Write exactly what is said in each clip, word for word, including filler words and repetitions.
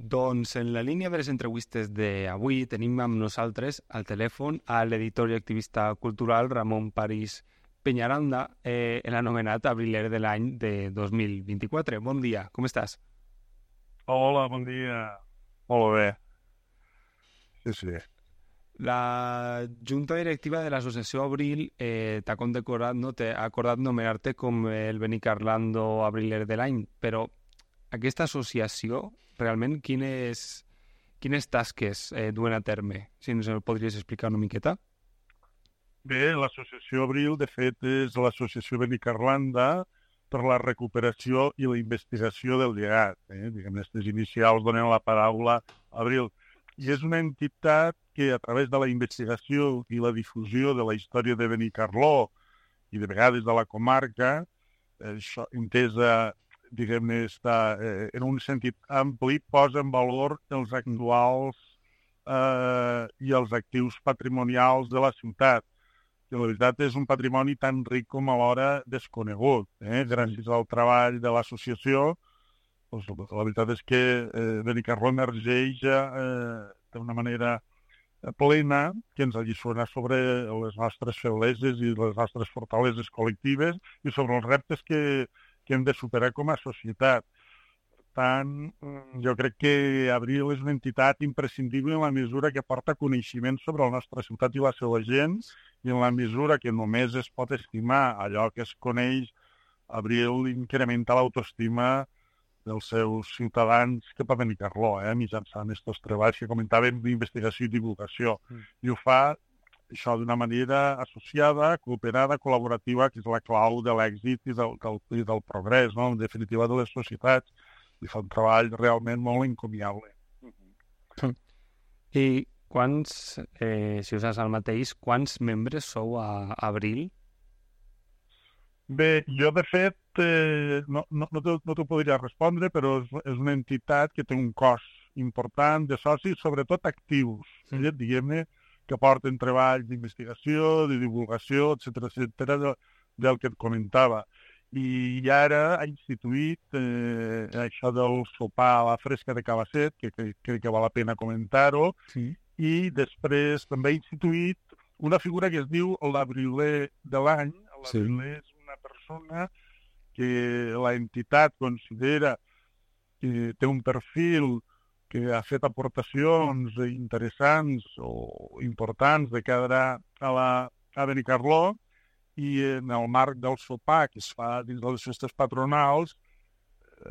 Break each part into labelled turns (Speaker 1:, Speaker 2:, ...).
Speaker 1: Doncs en la línia de les entrevistes d'avui tenim amb nosaltres al telèfon a l'editor i activista cultural Ramon París Peñaranda, eh, l'anomenat abriler de l'any de dos mil vint-i-quatre. Bon dia, com estàs?
Speaker 2: Hola, bon dia. Molt bé. Sí, sí.
Speaker 1: La Junta Directiva de l'Associació Abril eh, t'ha condecorat, no? T'ha acordat nomenar-te com el Benicarlando abriler de l'any, però aquesta associació, realment, quines, quines tasques eh, duen a terme? Si ens ho podries explicar una miqueta?
Speaker 2: Bé, l'associació Abril, de fet, és l'associació Benicarlanda per la recuperació i la investigació del llegat. Eh? Diguem, aquestes inicials donen la paraula Abril. I és una entitat que, a través de la investigació i la difusió de la història de Benicarló i de vegades de la comarca, eh, això, entesa, diguem-ne, està, eh, en un sentit ampli, posa en valor els actuals eh, i els actius patrimonials de la ciutat. Que la veritat és un patrimoni tan ric com alhora desconegut. Eh? Gràcies al treball de l'associació, doncs, la veritat és que eh, Benicarló emergeix eh, d'una manera plena que ens alliçona sobre les nostres febleses i les nostres fortaleses col·lectives i sobre els reptes que, que hem de superar com a societat. Per tant, jo crec que Abril és una entitat imprescindible en la mesura que porta coneixement sobre la nostra ciutat i la seva gent i en la mesura que només es pot estimar allò que es coneix, Abril incrementa l'autoestima dels seus ciutadans cap a Benicarló, eh, mitjançant aquests treballs que comentàvem d'investigació i divulgació. Mm. I ho fa això d'una manera associada, cooperada, col·laborativa, que és la clau de l'èxit i del, del, i del progrés, no? En definitiva, de les societats. I fa un treball realment molt encomiable.
Speaker 1: Mm. I quants, eh, si us saps el mateix, quants membres sou a Abril?
Speaker 2: Bé, jo de fet eh, no, no, no t'ho no podria respondre, però és, és una entitat que té un cos important de socis, sobretot actius, mm. eh, diguem-ne, que porten treballs d'investigació, de divulgació, etcètera, etcètera, de, del que et comentava. I ara ha instituït eh, això del sopar a la fresca de Cabasset, que crec que, que val la pena comentar-ho, sí. I després també ha instituït una figura que es diu l'abriler de l'any. L'abriler sí. És una persona que l'entitat considera que té un perfil que ha fet aportacions interessants o importants de cara a, la, a Benicarló, i en el marc del sopar que es fa dins de les festes patronals,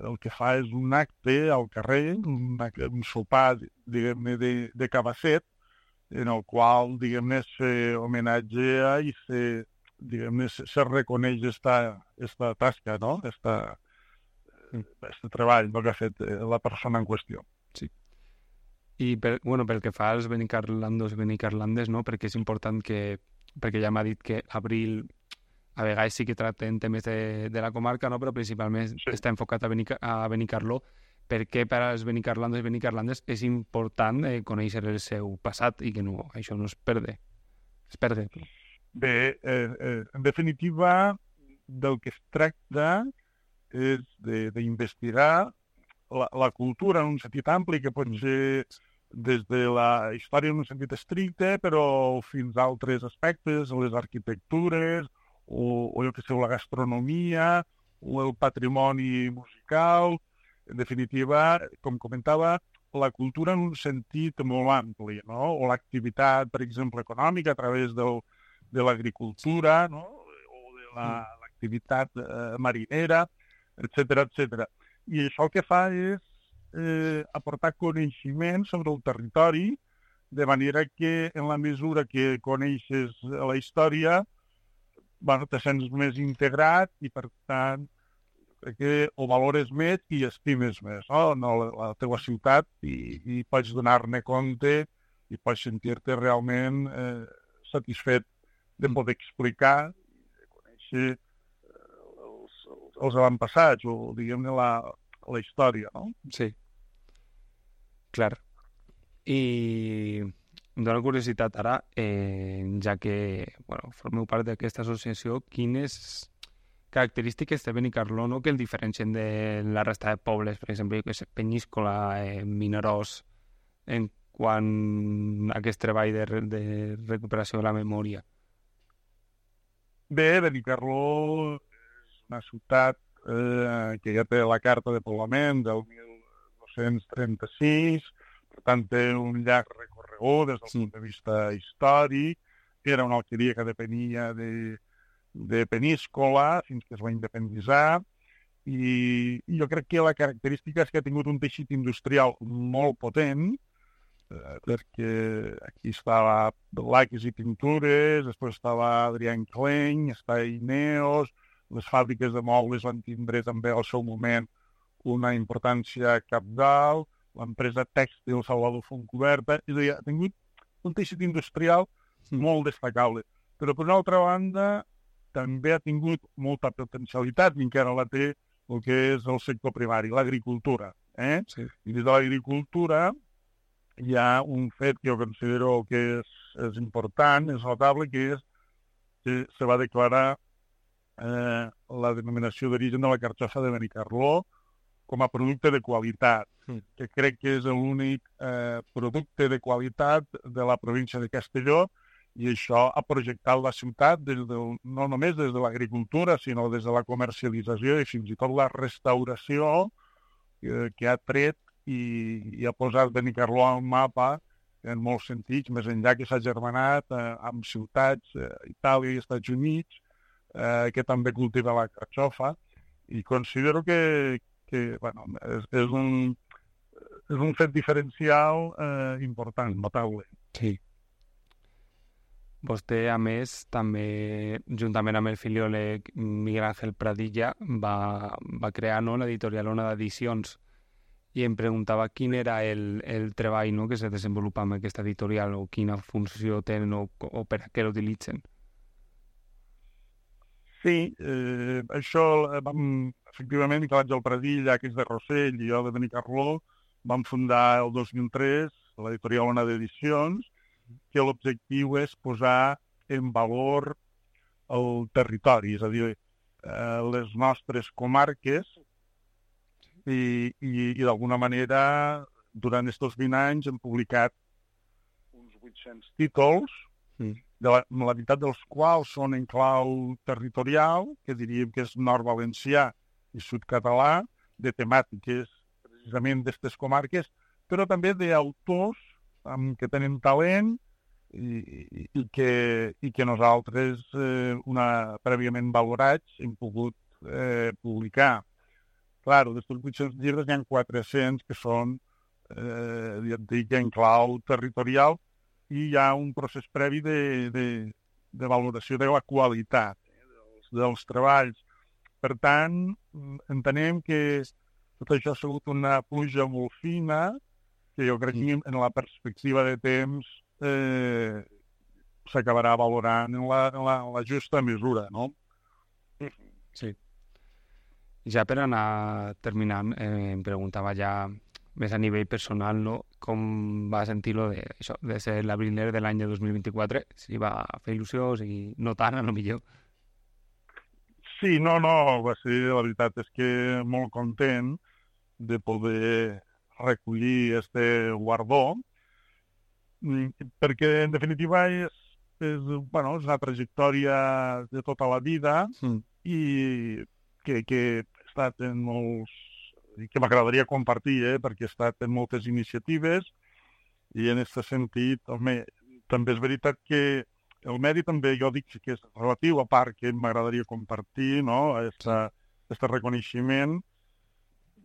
Speaker 2: el que fa és un acte al carrer, un, un sopar, diguem-ne, de, de Cabasset, en el qual, diguem-ne, se homenatgea i se, diguem-ne, se, se reconeix esta, esta tasca, no? Esta, este treball no, que ha fet la persona en qüestió.
Speaker 1: Sí. I per, bueno, pel que fa als benicarlandos i benicarlandes, no? Perquè és important que, perquè ja m'ha dit que Abril a vegades sí que tracten temes de, de la comarca, no? Però principalment sí. Està enfocat a, Benica, a Benicarló. Per què per als benicarlandos i benicarlandes és important eh, conèixer el seu passat i que no, això no es perde. Es perde.
Speaker 2: Bé, eh, eh, en definitiva, del que es tracta és d'investigar la, la cultura en un sentit ampli, que pot ser des de la història en un sentit estricte, però fins a altres aspectes, les arquitectures, o, o jo que sé, la gastronomia, o el patrimoni musical. En definitiva, com comentava, la cultura en un sentit molt ampli, no? O l'activitat, per exemple, econòmica a través del, de l'agricultura, no? O de l'activitat eh, marinera, etcètera, etcètera. I això el que fa és eh, aportar coneixement sobre el territori, de manera que en la mesura que coneixes la història, bueno, te sents més integrat i, per tant, crec que ho valores més i estimes més, no? No, la, la teva ciutat i, i pots donar-ne compte i pots sentir-te realment eh, satisfet de poder explicar i de conèixer eh, els, els avantpassats o, diguem-ne, la, la història, no?
Speaker 1: Sí. Clar. I em dóna curiositat ara, eh, ja que bueno, formeu part d'aquesta associació, quines característiques de Benicarló, no?, que el diferencien de la resta de pobles, per exemple, que és Penyíscola, eh, Vinaròs, en quant a aquest treball de, re- de recuperació de la memòria.
Speaker 2: Bé, Benicarló és una ciutat eh, que ja té la carta de poblament del mil dos-cents trenta-sis, per tant té un llarg recorregut des del
Speaker 1: Sí.
Speaker 2: punt de vista històric. Era una alqueria que depenia de, de Peníscola fins que es va independitzar, i, i jo crec que la característica és que ha tingut un teixit industrial molt potent, eh, perquè aquí estava Laques i Pintures, després estava Adrián Klein, està Ineos, les fàbriques de mobles van tindre també al seu moment una importància cabdal, l'empresa tèxtil Salvador Fontcoberta, és a dir, ha tingut un teixit industrial
Speaker 1: Mm.
Speaker 2: molt destacable. Però, per una altra banda, també ha tingut molta potencialitat, i encara la té el que és el sector primari, l'agricultura. Eh?
Speaker 1: Sí.
Speaker 2: I des de l'agricultura hi ha un fet que jo considero que és, és important, és notable, que és que se va declarar eh, la denominació d'origen de la carxofa de Benicarló com a producte de qualitat,
Speaker 1: Mm.
Speaker 2: que crec que és l'únic eh, producte de qualitat de la província de Castelló, i això ha projectat la ciutat des del, no només des de l'agricultura, sinó des de la comercialització i fins i tot la restauració eh, que ha tret i, i ha posat Benicarló al mapa en molts sentits, més enllà que s'ha germanat eh, amb ciutats, eh, Itàlia i Estats Units, eh, que també cultiva la carxofa, i considero que, que bueno, és, és, un, és un fet diferencial eh, important, notable.
Speaker 1: Sí. Vostè, a més, també, juntament amb el filiòleg Miguel Ángel Pradilla, va, va crear, no, l'editorial Ona d'Edicions, i em preguntava quin era el, el treball, no, que se desenvolupa amb aquesta editorial, o quina funció tenen, o, o per a què l'utilitzen.
Speaker 2: Sí, eh, això eh, vam, efectivament, Miquel Àngel Pradilla, que és de Rossell, i jo de Benicarló, vam fundar el dos mil tres l'editorial Ona d'Edicions, que l'objectiu és posar en valor el territori, és a dir, eh, les nostres comarques, i, i, i d'alguna manera, durant aquests vint anys hem publicat uns vuit-cents títols,
Speaker 1: Mm.
Speaker 2: de la, la meitat dels quals són en clau territorial, que diríem que és nord-valencià i sud-català, de temàtiques precisament d'aquestes comarques, però també d'autors amb que tenen talent i, i, i, que, i que nosaltres, eh, una, prèviament valorats, hem pogut eh, publicar. Clar, d'aquests vuit-cents llibres n'hi ha quatre-cents que són, eh, ja et dic, en clau territorial, i hi ha un procés previ de, de, de valoració de la qualitat eh, dels, dels treballs. Per tant, entenem que tot això ha sigut una pluja molt fina, que jo crec que en la perspectiva de temps eh, s'acabarà valorant en la, en, la, en la justa mesura, no?
Speaker 1: Sí. Ja per anar terminant, eh, em preguntava ja més a nivell personal, no, com va sentir-lo de, això, de ser l'abriler de l'any de dos mil vint-i-quatre, si va fer il·lusió, si no tant, a lo millor.
Speaker 2: Sí, no, no, va ser, la veritat és que molt content de poder recollir este guardó, perquè en definitiva és, és, bueno, és una trajectòria de tota la vida
Speaker 1: Mm.
Speaker 2: i que, que he estat en molts, i que m'agradaria compartir, eh, perquè he estat en moltes iniciatives, i en aquest sentit, home, també és veritat que el mèrit també, jo dic que és relatiu, a part que m'agradaria compartir, no?, aquest reconeixement.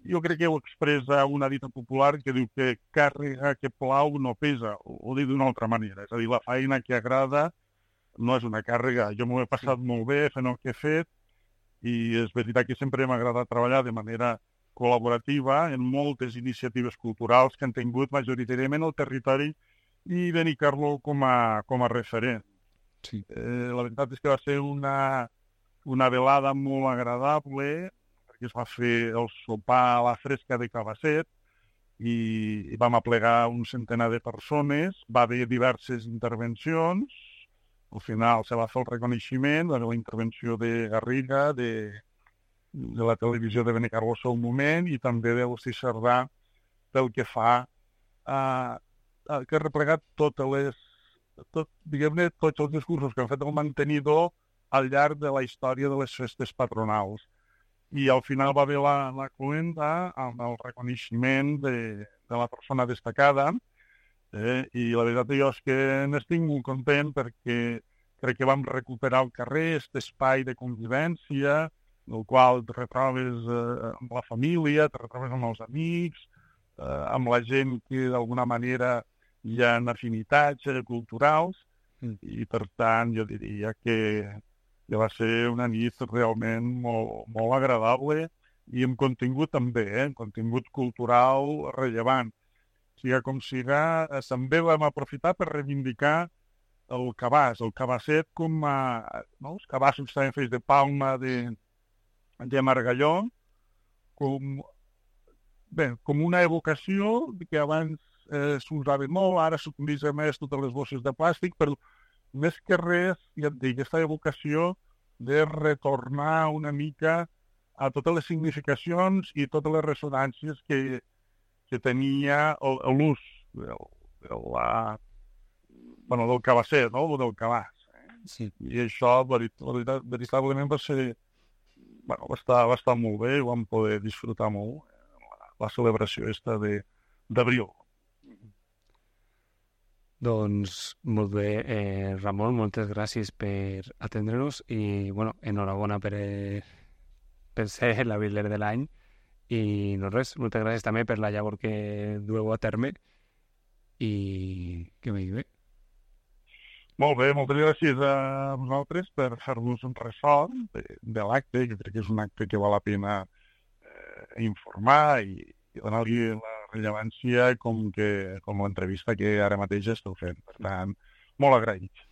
Speaker 2: Jo crec que ho expressa una dita popular que diu que càrrega que plau no pesa, o, o dit d'una altra manera. És a dir, la feina que agrada no és una càrrega. Jo m'ho he passat molt bé fent el que he fet, i és veritat que sempre m'ha agradat treballar de manera col·laborativa en moltes iniciatives culturals que han tingut majoritàriament el territori i Benicarló com a, com a referent.
Speaker 1: Sí.
Speaker 2: Eh, la veritat és que va ser una, una velada molt agradable, perquè es va fer el sopar a la fresca de Cabasset i, i vam aplegar un centenar de persones, va haver diverses intervencions, al final se va fer el reconeixement de la intervenció de Garriga, de, de la televisió de Benicarló al moment i també de l'Hosti Cerdà pel que fa a, a que ha replegat totes les, tot, diguem-ne, tots els discursos que han fet el mantenidor al llarg de la història de les festes patronals. I al final va haver la, la cluenda amb el reconeixement de, de la persona destacada, eh? I la veritat jo és que n'estic molt content perquè crec que vam recuperar al carrer aquest espai de convivència, el qual te retrobes eh, amb la família, te retrobes amb els amics, eh, amb la gent que d'alguna manera hi ha afinitats eh, culturals, mm. i per tant jo diria que que va ser una nit realment molt, molt agradable i amb contingut també, eh? Contingut cultural rellevant. Siga com siga, eh, també vam aprofitar per reivindicar el cabàs, el cabasset com a... No? Els cabassos estaven fets de palma de, de margalló, com, bé, com una evocació que abans eh, s'usava molt, ara s'utilitzen més totes les bosses de plàstic, però més que res, ja et dic, aquesta evocació de retornar una mica a totes les significacions i totes les ressonàncies que, que tenia l'ús del, de la, bueno, del cabasset, no? O del cabàs. Eh?
Speaker 1: Sí.
Speaker 2: I això, verit, veritat, veritablement, va ser... Bueno, va estar, va estar molt bé, vam poder disfrutar molt la, la celebració esta d'abril.
Speaker 1: Doncs molt bé, eh, Ramon, moltes gràcies per atendre-nos i, bueno, enhorabona per, eh, per ser la Bibler de l'any i no res, moltes gràcies també per la llavor que dueu a terme i que vagi bé.
Speaker 2: Molt bé, moltes gràcies a vosaltres per fer-nos un ressò de, de l'acte, que crec que és un acte que val la pena eh, informar i, i donar-li la rellevància com, que, com l'entrevista que ara mateix esteu fent. Per tant, molt agraït.